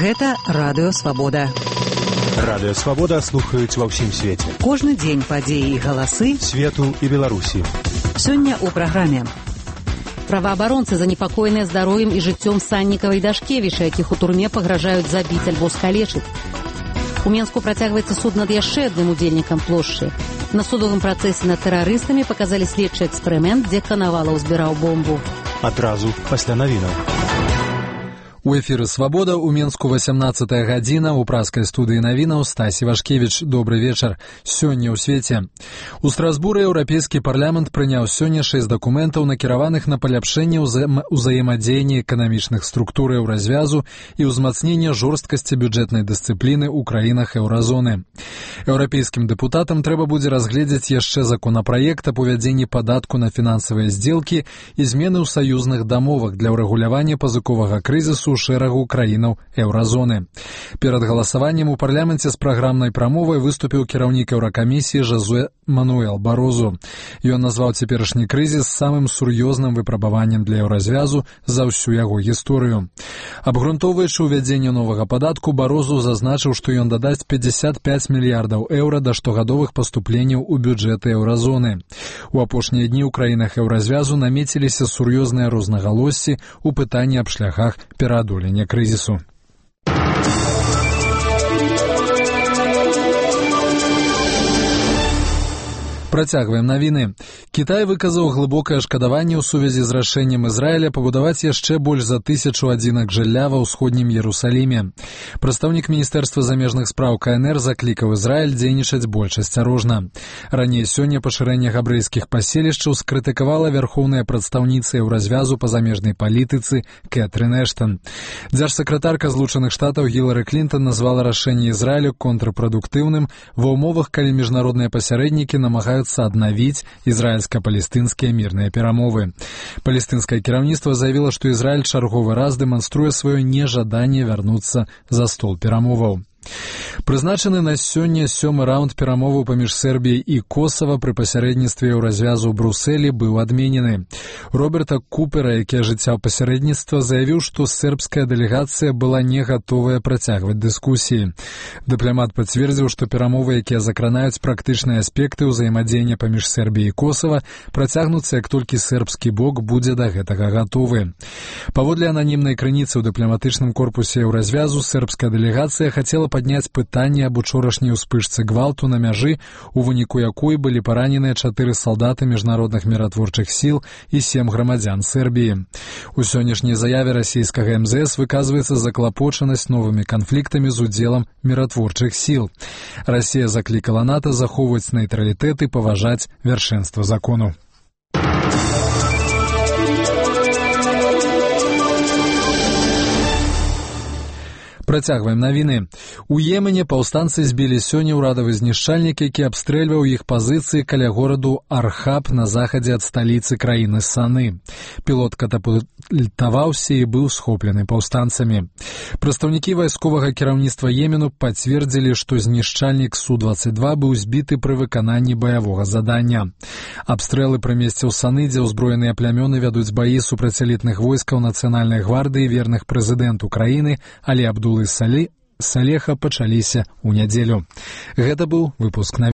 Гэта Радыё Свабода. Радыё Свабода слухаюць ва ўсім свеце. Кожны дзень падзеі і галасы свету і Беларусі. Сёння ў праграме. Праваабаронцы занепакоеныя здароўем і жыццём Саннікава і Дашкевіча, якіх у турме пагражаюць забіць альбо скалечыць. У Менску працягваецца суд над яшчэ адным удзельнікам плошчы. На судовым працэсе над тэрарыстамі паказалі следчы эксперымент, дзе Канавалаў збіраў бомбу. Адразу пасля навінаў. У эфіры «Свабода» у Менску 18-я гадзіна, у праскай студыі навінаў Стась Івашкевіч. Добры вечар. Сёння ў свеце. У Страсбуры Еўрапейскі парламент прыняў сёння 6 дакументаў, накіраваных на паляпшэнне ўзаемадзеяння эканамічных структур еўразвязу і ўзмацнення жорсткасці бюджэтнай дысцыпліны ў краінах еўразоны. Еўрапейскім дэпутатам трэба будзе разгледзець яшчэ законапраект аб увядзенні падатку на фінансавыя здзелкі і змены ў саюзных дамовах для ўрэгулявання пазыковага крызісу ў шэрагу краінаў еўразоны. Перад галасаваннем у парламенце з праграмнай прамовай выступіў кіраўнік Еўракамісіі Жозе Мануэл Барозу. Ён назваў цяперашні крызіс самым сур'ёзным выпрабаваннем для еўразвязу за ўсю яго гісторыю. Абгрунтоўваючы ўвядзенне новага падатку, Барозу зазначыў, што ён дадасць 55 мільярдаў еўра да штогадовых паступленняў у бюджэты еўразоны. У апошнія дні ў краінах еўразвязу намеціліся сур'ёзныя рознагалоссі ў пытанні аб шляхах пераадолення крызісу. Працягваем навіны. Кітай выказаў глыбокае шкадаванне ў сувязі з рашэннем Ізраіля пабудаваць яшчэ больш за 1000 адзінак жылля ва ўсходнім Ерусаліме. Прадстаўнік Міністэрства замежных спраў КНР заклікаў Ізраіль дзейнічаць больш асцярожна. Раней сёння пашырэнне габрэйскіх паселішчаў скрытыкавала вярхоўная прадстаўніца еўразвязу па замежнай палітыцы Кэтрын Эштан. Дзяржсакратарка Злучаных Штатаў Гілары Клінтон назвала рашэнне Ізраілю контрпрадуктыўным ва ўмовах, калі міжнародныя пасярэднікі намагаюцца аднавіць ізраільска-палестынскія мірныя перамовы. Палестынскае кіраўніцтва заявіла, што Ізраіль чарговы раз дэманструе сваё нежаданне вярнуцца за стол перамоваў. Прызначаны на сёння 7-ы раунд перамоваў паміж Сербіяй і Косава пры пасярэдніцтве еўразвязу ў Брусэлі быў адменены. Роберта Купера, які ажыццяў пасярэдніцтва, заявіў, што сербская дэлегацыя была не гатовая працягваць дыскусіі. Дыпламат пацвердзіў, што перамовы, якія закранаюць практычныя аспекты ўзаемадзеяння паміж Сербіяй і Косава, працягнуцца, як толькі сербскі бок будзе да гэтага гатовы. Паводле ананімнай крыніцы ў дыпламатычным корпусе еўразвязу, сербская дэлегацыя хацела падняць пытанне аб учорашняй успышцы гвалту на мяжы, у выніку якой былі параненыя 4 салдаты міжнародных міратворчых сіл і 7 грамадзян Сербіі. У сённяшняй заяве расійскага МЗС выказваецца заклапочанасць новымі канфліктамі з удзелам міратворчых сіл. Расія заклікала НАТО захоўваць нейтралітэт і паважаць вяршэнства закону. Працягваем навіны. У Йемене паўстанцы збілі сёння ўрадавы знішчальнік, які абстрэльваў іх пазіцыі каля гораду Архаб на захадзе ад сталіцы краіны Саны. Пілот катапультаваўся і быў схоплены паўстанцамі. Прадстаўнікі вайсковага кіраўніцтва Йемену пацвердзілі, што знішчальнік Су-22 быў збіты пры выкананні баявога задання. Абстрэлы пры месцы ў Саны, дзе ўзброеныя плямёны вядуць баі супраць элітных войскаў нацыянальнай гвардыі верных прэзідэнту краіны Алі Абдулы Салеха пачаліся ў нядзелю. Гэта быў выпуск навін.